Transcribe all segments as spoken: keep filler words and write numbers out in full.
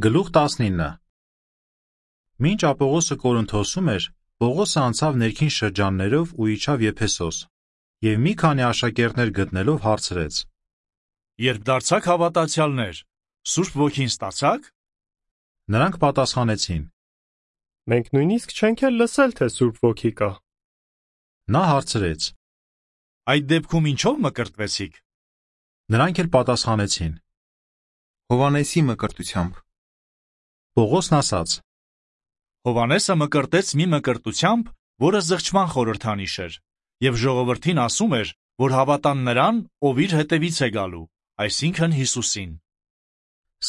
Գլուխ տասնինը Մինչ Ապողոսը Կորինթոսում էր, Պողոսը անցավ ներքին շրջաններով ու իջավ Եփեսոս, և մի քանի աշակերտներ գտնելով հարցրեց. Երբ դարձաք հավատացյալներ, Սուրբ Ոգին ստացաք? Նրանք պատասխանեցին. Մենք նույնիսկ չենք էլ լսել, թե Սուրբ Ոգի կա։ Նա հարցրեց. Այդ դեպքում ինչով մկրտվեցիք? Նրանք էլ պատասխանեցին. Հովհաննեսի մկրտությամբ։ Պողոսն ասաց. Հովհաննեսը մկրտեց մի մկրտությամբ, որը զղջման խորհրդանիշ էր, և ժողովրդին ասում էր, որ հավատան նրան, ով իր հետևից է գալու, այսինքն Հիսուսին։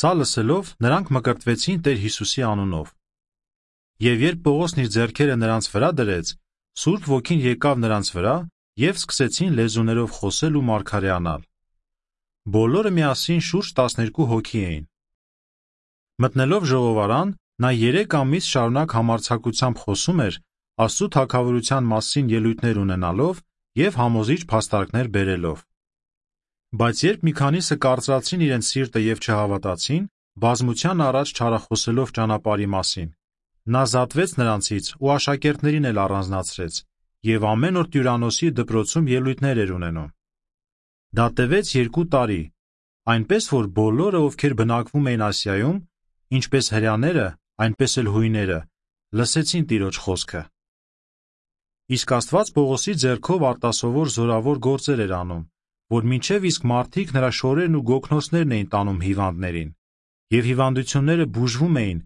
Սա լսելով նրանք մկրտվեցին Տեր Հիսուսի անունով։ Եվ երբ Պողոսն իր ձեռքերը նրանց վրա դրեց, Սուրբ Ոգին եկավ նրանց վրա և սկսեցին լեզուներով խոսել ու մարգարեանալ։ Բոլորը միասին շուրջ տասներկու հոգի էին։ Մտնելով ժողովարան, նա երեք ամիս շարունակ համարձակությամբ խոսում էր Աստծու թագավորության մասին ելույթներ ունենալով և համոզիչ փաստարկներ բերելով։ Բայց երբ մի քանիսը կարծրացրին իրենց սիրտը և չհավատացին, բազմության առաջ չարախոսելով ճանապարհի մասին, նա զատվեց նրանցից ու աշակերտներին էլ առանձնացրեց և ամեն օր Տյուրանոսի դպրոցում ելույթներ էր ունենում։ Դա տևեց երկու տարի, այնպես որ բոլորը, ովքեր բնակվում էին Ասիայում, ինչպես հրեաները, այնպես էլ հույները, լսեցին Տիրոջ խոսքը։ Իսկ Աստված Պողոսի ձեռքով արտասովոր զորավոր գործեր էր անում, որ մինչև իսկ մարդիկ նրա շորերն ու գոգնոցներն էին տանում հիվանդներին, և հիվանդությունները բուժվում էին,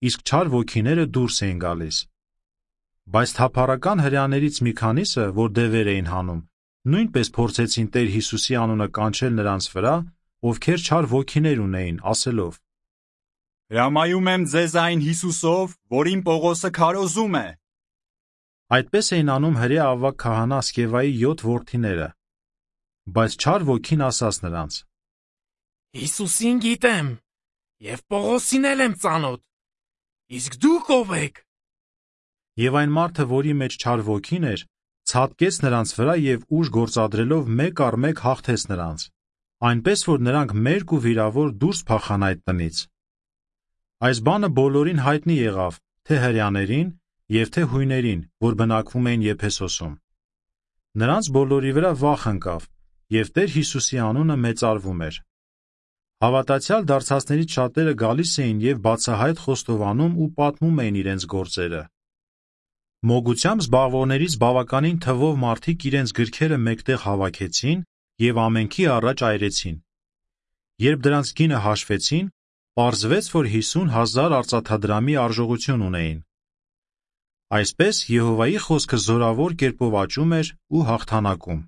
իսկ չար ոգիները դուրս էին գալիս։ Բայց թափառական հրեաներից մի քանիսը, որ դևեր էին հանում, նույնպես փորձեցին Տեր Հիսուսի անունը կանչել նրանց վրա, ովքեր չար ոգիներ ունեին, ասելով. Հրամայում եմ ձեզ այն Հիսուսով, որին Պողոսը քարոզում է։ Այդպես էին անում հրեա ավագ քահանա Սկևայի յոթ որդիները։ Բայց չար ոգին ասաց նրանց. Հիսուսին գիտեմ, և Պողոսին էլ եմ ծանոթ, իսկ դուք ով եք։ Եվ այն մարդը, որի մեջ չար ոգին էր, ցատկեց նրանց վրա և ուժ գործադրելով մեկ առ մեկ հաղթեց նրանց, այնպես որ նրանք մերկ ու վիրավոր դուրս փախան այդ տնից։ Այս բանը բոլորին հայտնի եղավ, թե հրեաներին և թե հույներին, որ բնակվում էին Եփեսոսում։ Նրանց բոլորի վրա վախ ընկավ, և Տեր Հիսուսի անունը մեծարվում էր։ Հավատացյալ դարձածներից շատերը գալիս էին և բացահայտ խոստովանում ու պատմում էին իրենց գործերը։ Մոգությամբ զբաղվողներից բավականին թվով մարդիկ իրենց գրքերը մեկտեղ հավաքեցին և ամենքի առաջ այրեցին։ Երբ դրանց գինը հաշվեցին, պարզվեց, որ հիսուն հազար արծաթադրամի արժողություն ունեին։ Այսպես Եհովայի խոսքը զորավոր կերպով աճում էր ու հաղթանակում։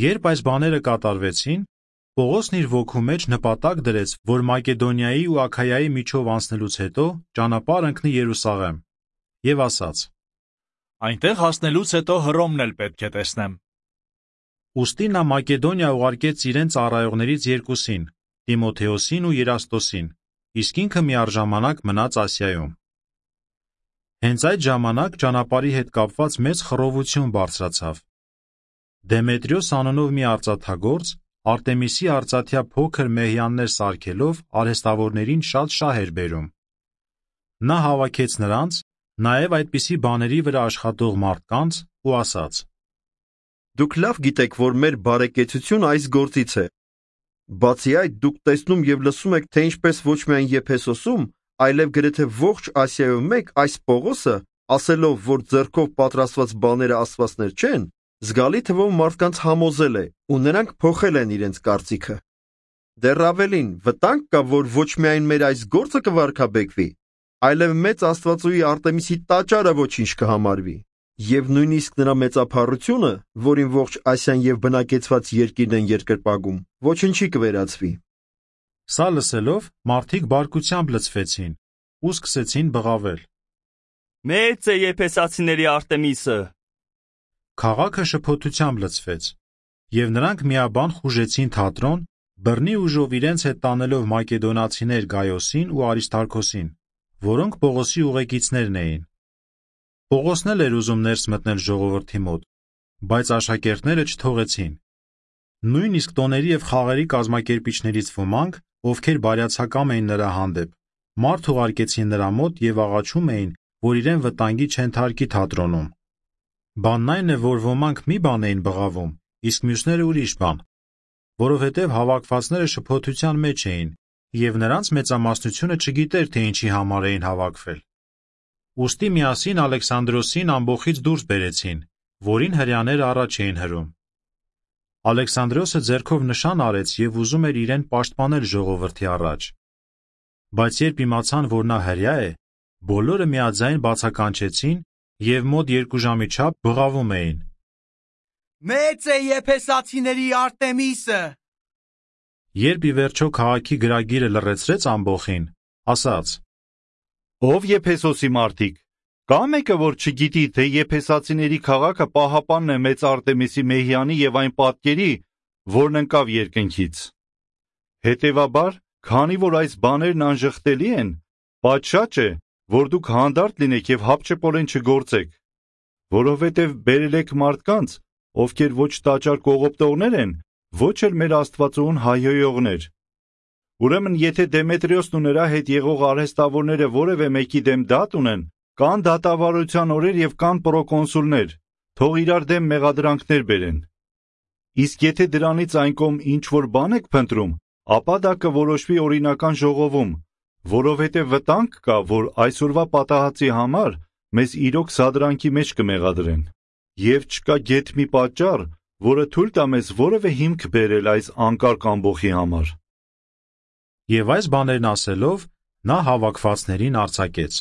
Երբ այս բաները կատարվեցին, Պողոսն իր ոգու մեջ նպատակ դրեց, որ Մակեդոնիայի ու Աքայայի միջով անցնելուց հետո ճանապարհ ընկնի Երուսաղեմ, և ասաց. Այնտեղ հասնելուց հետո Հռոմն էլ պետք է տեսնեմ։ Ուստի նա Մակեդոնիա ուղարկեց իրեն ծառայողներից երկուսին, Տիմոթեոսին ու Երաստոսին, իսկ ինքը միառժամանակ մնաց Ասիայում։ Հենց այդ ժամանակ ճանապարհի հետ կապված մեծ խռովություն բարձրացավ։ Դեմետրիոս անունով մի արծաթագործ Արտեմիսի արծաթյա փոքր մեհյաններ սարքելով արհեստավորներին շատ շահ էր բերում։ Նա հավաքեց նրանց, նաև այդպիսի բաների վրա աշխատող մարդկանց ու ասաց. Դուք լավ գիտեք, որ մեր բարեկեցությունը այս գործից է։ Բացի այդ, դուք տեսնում և լսում եք, թե ինչպես ոչ միայն Եփեսոսում, այլև գրեթե ողջ Ասիայում մեկ այս Պողոսը, ասելով, որ ձեռքով պատրաստված բաները աստվածներ չեն, զգալի թվով մարդկանց համոզել է, ու նրանք փոխել են իրենց կարծիքը։ Դեռ ավելին, վտանգ կա, որ ոչ միայն մեր այս գործը կվարգաբեկվի, այլև մեծ աստվածուհի Արտեմիսի տաճարը ոչինչ կհամարվի, և նույնիսկ նրա մեծափառությունը, որին ողջ Ասիան և բնակեցված երկիրն են երկրպագում, ոչնչի կվերածվի։ Սա լսելով մարդիկ բարկությամբ լցվեցին ու սկսեցին բղավել. Մեծ է եփեսացիների Արտեմիսը։ Քաղաքը շփոթությամբ լցվեց, և նրանք միաբան խուժեցին թատրոն, բռնի ուժով իրենց հետ տանելով մակեդոնացիներ Գայոսին ու Արիստարքոսին, որոնք Պողոսի ուղեկիցներն էին։ Պողոսն էլ էր ուզում ներս մտնել ժողովրդի մոտ, բայց աշակերտները չթողեցին։ Նույնիսկ տոների և խաղերի կազմակերպիչներից ոմանք ովքեր բարյացակամ էին նրա հանդեպ, մարդ ուղարկեցին նրա մոտ և աղաչում էին, որ իրեն վտանգի չենթարկի թատրոնում։ Բանն այն է, որ ոմանք մի բան էին բղավում, իսկ մյուսները ուրիշ բան, որովհետև հավաքվածները շփոթության մեջ էին, և նրանց մեծամասնությունը չգիտեր, թե ինչի համար էին հավաքվել։ Ուստի միասին Ալեքսանդրոսին ամբոխից դուրս բերեցին, որին հրեաները առաջ էին հրում։ Ալեքսանդրոսը ձեռքով նշան արեց և ուզում էր իրեն պաշտպանել ժողովրդի առաջ։ Բայց երբ իմացան, որ նա հրեա է, բոլորը միաձայն բացականչեցին և մոտ երկու ժամի չափ բղավում էին. Մեծ է Եփեսացիների Արտեմիսը։ Երբ ի վերջո քաղաքի գրագիրը լռեցրեց ամբոխին, ասաց. Ով Եփեսոսի մարդիկ, կա մեկը, որ չգիտի, թե Եփեսացիների քաղաքը պահապանն է մեծ Արտեմիսի մեհյանի և այն պատկերի, որն ընկավ երկնքից։ Հետևաբար, քանի որ այս բաներն անժխտելի են, պատշաճ է, որ դուք հանդարտ լինեք և հապճեպորեն չգործեք, որովհետև բերել եք մարդկանց, ովքեր ոչ տաճար կողոպտողներ են, ոչ էլ մեր Աստվածուհուն հայհոյողներ։ Ուրեմն, եթե Դեմետրիոսն ու նրա հետ եղող արհեստավորները որևէ մեկի դեմ դատ ունեն, կան դատավարության օրեր և կան պրոկոնսուլներ, թող իրար դեմ մեղադրանքներ բերեն։ Իսկ եթե դրանից այն կողմ ինչ-որ բան եք փնտրում, ապա դա կորոշվի օրինական ժողովում, որովհետև վտանգ կա, որ այսօրվա պատահածի համար մեզ իրոք սադրանքի մեջ կմեղադրեն։ Եվ չկա գեթ մի պատճառ, որը թույլ տա մեզ որևէ հիմք բերել այս անկարգ ամբոխի համար։ Եվ այս բաներն ասելով, նա հավաքվածներին արձակեց։